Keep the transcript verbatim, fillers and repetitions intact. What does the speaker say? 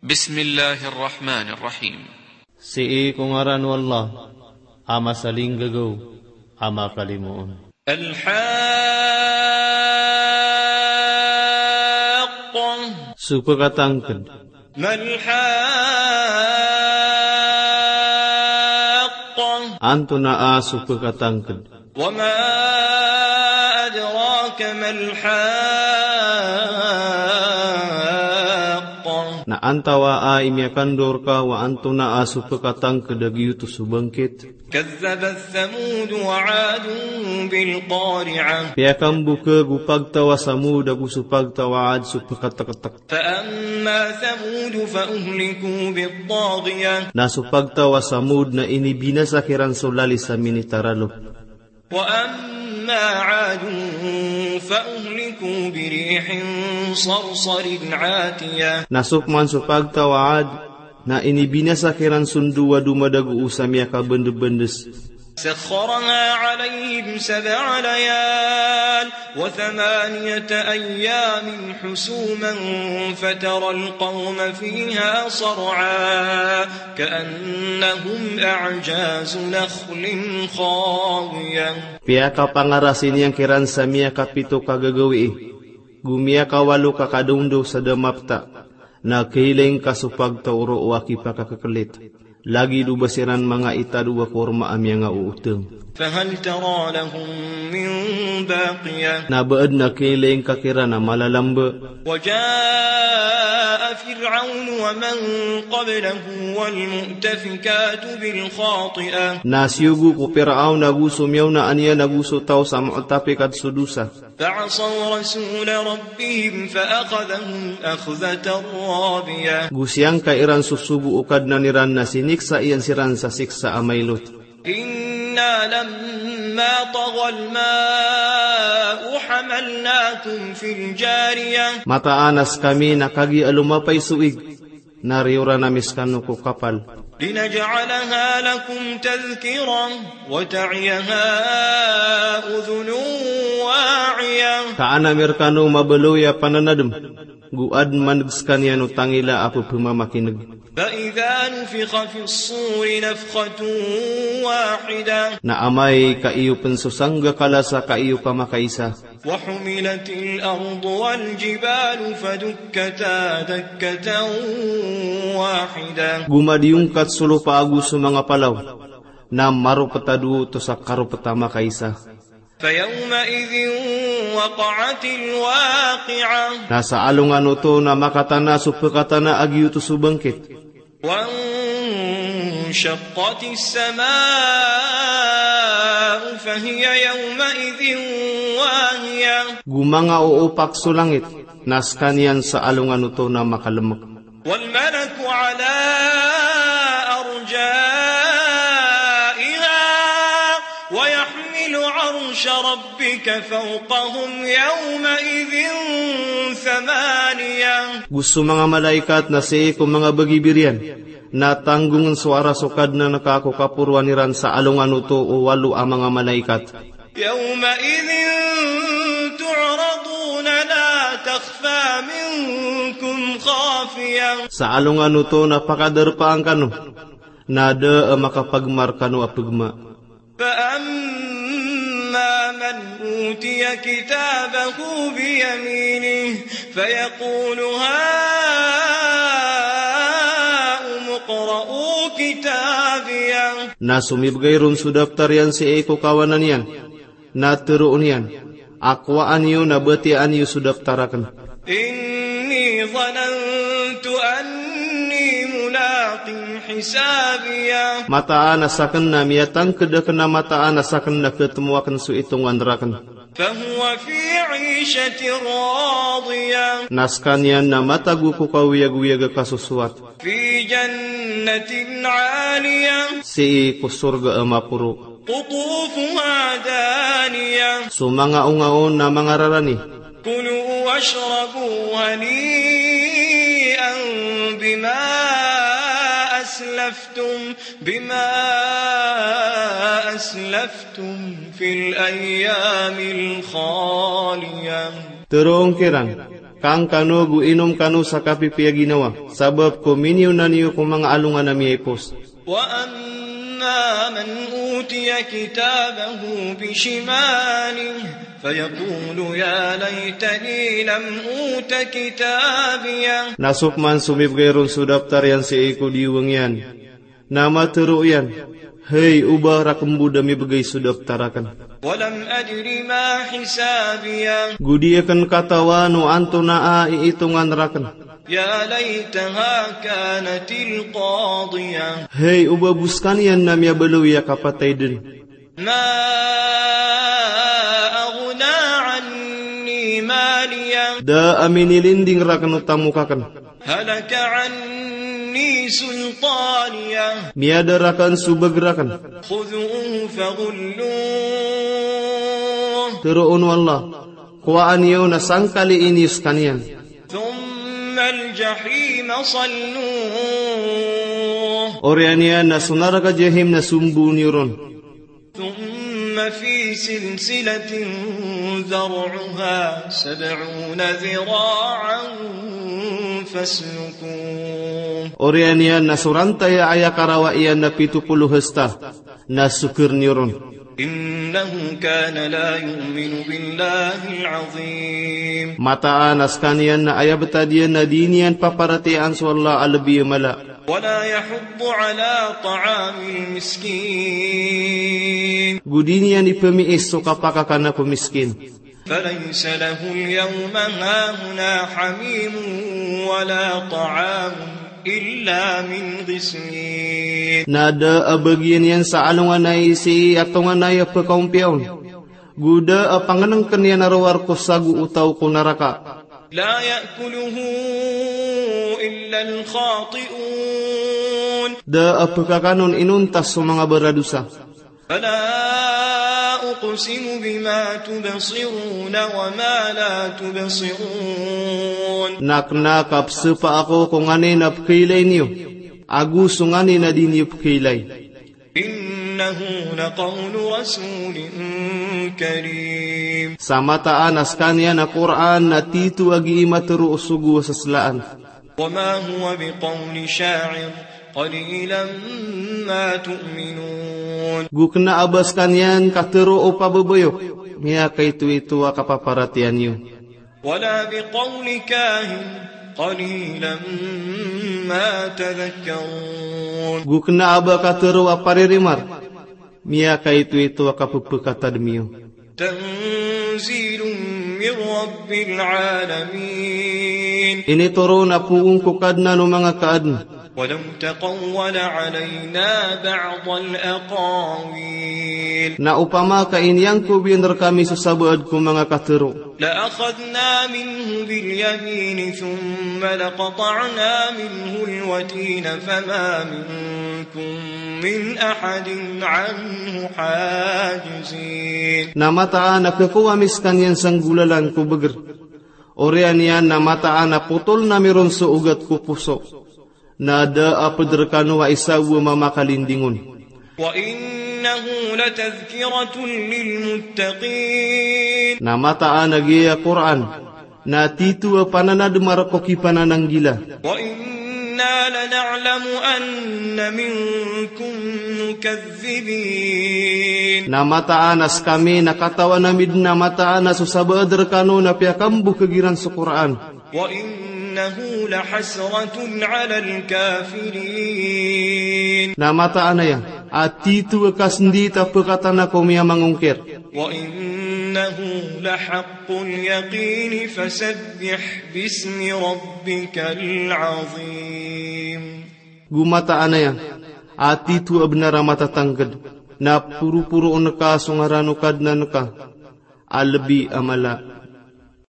Bismillahir Rahmanir Rahim. Sii ko ngaran o Allah, a masalinggagaw, a makalimoon. Al-Haqqah. So pekatangked. Mal-Haqqah. Antonaa so pekatangked. Wa ma adraka mal-Haqqah. Na antawaa i miyakandor ka o antonaa so pekatangked a giyoto so bangkit. Kadhdhabat Thamud wa Adun bil-Qari'ah. Piyakambokeg o pagtaw a Thamud ago so pagtaw a Ad so pekatektek. Fa amma Thamud fa uhliku bit-Taghiyah. Na so pagtaw a Thamud na inibinasa kiran so lalis a minitaralo. Wa amma Adun fa uhliku bi rihin sarsarin 'atiyah. Na so peman so pagtaw a Ad, na inibinasa kiran so ndowa a domadagos a miyakabendebendes. Sakhkharaha 'alayhim sab'a layal wa thamaniyata ayyamin husuman fataral qawma fiha sar'a ka'annahum a'jazu nakhlin khawiyah. Piyakapangarasi niyan kiran sa miyakapito ka gagawii, go miyakawalo ka kadaondaw sa da mapta, na khailay ngka so pagtaw roo a kipakakekelit. Lagid o ba siran manga itado a korma a miyangaooteng. Fahal tara lahum min baqiyah. Na ba aden a khailay ngka kiran a malalambe. Wa jaa Fir'aunu wa man qablahu wal mu'tafikatu bil khati'ah. Na siyogo ko Fir'aun ago so miyaona niyan ago so taw sa mu'tafikat so dosa. Fa'asaw rasula rabbihim fa akhadhahum akhdhatan rabiyah. Go siyangka iran so sogo o Kadnan iran na siniksa iyan siran sa siksa a mailot. Inna lamma taghal ma'u hamalnakum fil jariyah. Mataan a sekami na kagiya lomapay so ig, na riyoran ami sekano ko kapal. Linaj'alaha lakum tadhkiratan wa ta'iyaha udhunun wa'iyah. Ka an ami rekano mabaloy a pananadem, go aden maneg sekaniyan o tangila a pepemamakineg. Fa idha nufikha fis suri nafthatun wahidah. Na amay ka iyo pen so sanggakala sa ka iyo ka makaisa. Wa humilatil ardu wal jibalu fadukkata dakkatan wahidah. Go madiyongkat so lopa ago so manga palaw, na maropet a dowa oto sa karopet a makaisa. Fa yawma'idhin waqa'atil waqi'ah. Na sa alongan oto na makatana so pekatana a giyoto so bangkit. Wanshaqqatis sama'u fahiya yawma'idhin wahiyah. Go mangaoopak so langit, na sekaniyan sa alongan oto na makalemek. Wal malaku ala arja'iha wa yahmilu arsha rabbika fawqahum yawma'idhin thamaniyah. Go so manga malaikat na sii ko manga bagibir iyan, na tanggongen so aras o Kadnan ka ko kaporoan iran sa alongan oto o walo a manga malaikat. Yawma'idhin tu'raduna la takhfa minkum khafiyah. Sa alongan oto na pakadarpaan kano, na da a makapagma rekano a pegma. Fa amma man utiya kitabahu bi yaminihi fayaqulu ha'ummu iqra'u kitabiyah. Na so mibegay ron so daptar iyan sii ko kawanan iyan, na teroon iyan a kowaan iyo na batiyaan iyo so daptar aken. Inni dhanantu anni mulaqin hisabiyah. Mataan a saken na miyatangked aken a mataan a saken na ketemo aken so itongan raken. Fahuwa fi 'ishatin radiyah. Na sekaniyan na matago ko kaoyagoyag a kasosowat. Fi jannatin 'aliyah. Sii ko sorga a maporo. Qutufuha daniyah. So manga onga on na mangararani. Kulu washrabu hani'an bima aslaftum, bima aslaftum fil ayyamil khaliyah. Teroon kiran, Kangkano go inom kano sa kapipiya ginawa, sabap ko miniyonan iyo ko manga alongan a miyaipos. وأما من أوتي كتابه بشماله فيقول يا ليتني لم أوت كتابيه. Na so pman so mibgay ron so daptar iyan sii ko diwang iyan, na matero iyan, "Hay, oba raken bo da mibgay so daptar aken." ولم أدر ما حسابيه. Go di aken katawan o antonaa i itongan raken. يا ليتها كانت القاضية. Hay, oba bo sekaniyan na miyabaloy a kapatay den. ما أغنى عني ماليه. Da a minilinding raken o tamok aken. هلك عني سلطانيه. Miyada raken so bagr aken. خذوه فغلوه. Teroon o Allah, kowaa niyo na sangkali niyo sekaniyan. ثم الجحيم صلوه. Oriyan iyan na so naraka Jahim na somboon iyo ron. ثم في سلسلة ذرعها سبعون ذراعا فاسلكوه. Oriyan iyan na so rantay a aya karawa iyan na pito polo hasta, na soker niyo ron. إنه كان لا يؤمن بالله العظيم. Mataan a sekaniyan na aya betad iyan na di niyan paparatiyayaan so Allah a lebi a mala. ولا يحض على طعام المسكين. Go di niyan ipemiis so kapakakana ko miskin. فليس له اليوم هاهنا حميم ولا طعام إلا من غسلين. Na da a bagian iyan sa alongan a aya sii a tonganay a pekaompiya on. Go da a pangenengken iyan a rowar ko sago o taw ko naraka. لا يأكله إلا الخاطئون. Da a pekakanon inonta so manga baradosa. فلا أقسم بما تبصرون وما لا تبصرون. Na kena a kapesepa ako ko nganin a pekeilay niyo, ago so nganin a di niyo pekeilay. إنه لقول رسول كريم. Sa mataan a sekaniyan a Qur'an na tito a gii matero o sogo a seselaan. وما هو بقول شاعر قليلا ما تؤمنون. Go kena a ba sekaniyan katero o pababayok, miyakaitoito a kapaparatiyaya niyo. ولا بقول كاهن قليلا ما تذكرون. Go kena a ba katero a paririmar, miyakaitoito a kapepekatadem iyo. تنزيل من رب العالمين. Initoron a poon ko Kadnan o manga kaadn. ولو تقول علينا بعض الأقاويل. Na opama ka iniyangkob iyan rekami so sabaad ko manga katero. لأخذنا منه باليمين ثم لقطعنا منه الوتين فما منكم من أحد عنه حاجزين. Na mataan a kekowa ami sekaniyan sa nggolalan ko beger. Oriyan iyan na mataan a potoln ami ron so ogat ko poso. Na da a ped rekano a isa bo a mamakalinding on. وإنه لتذكرة للمتقين. Na mataan a giya Qur'an na tito a pananadem a rek o kipanananggila. وإنا لنعلم أن منكم مكذبين. Na mataan a sekami na katawan ami den a mataan a so sabaad rekano na piyakambokeg iran so Qur'an. وإنه لحسرة على الكافرين. Na mataan aya a tito a kasendit a pekatana ko miyamangongkir. وإنه لحق اليقين فسبح باسم ربك العظيم. Go mataan aya a tito a benar a matatangked, na poroporoon ka so ngaran o Kadnan ka a lebi a mala.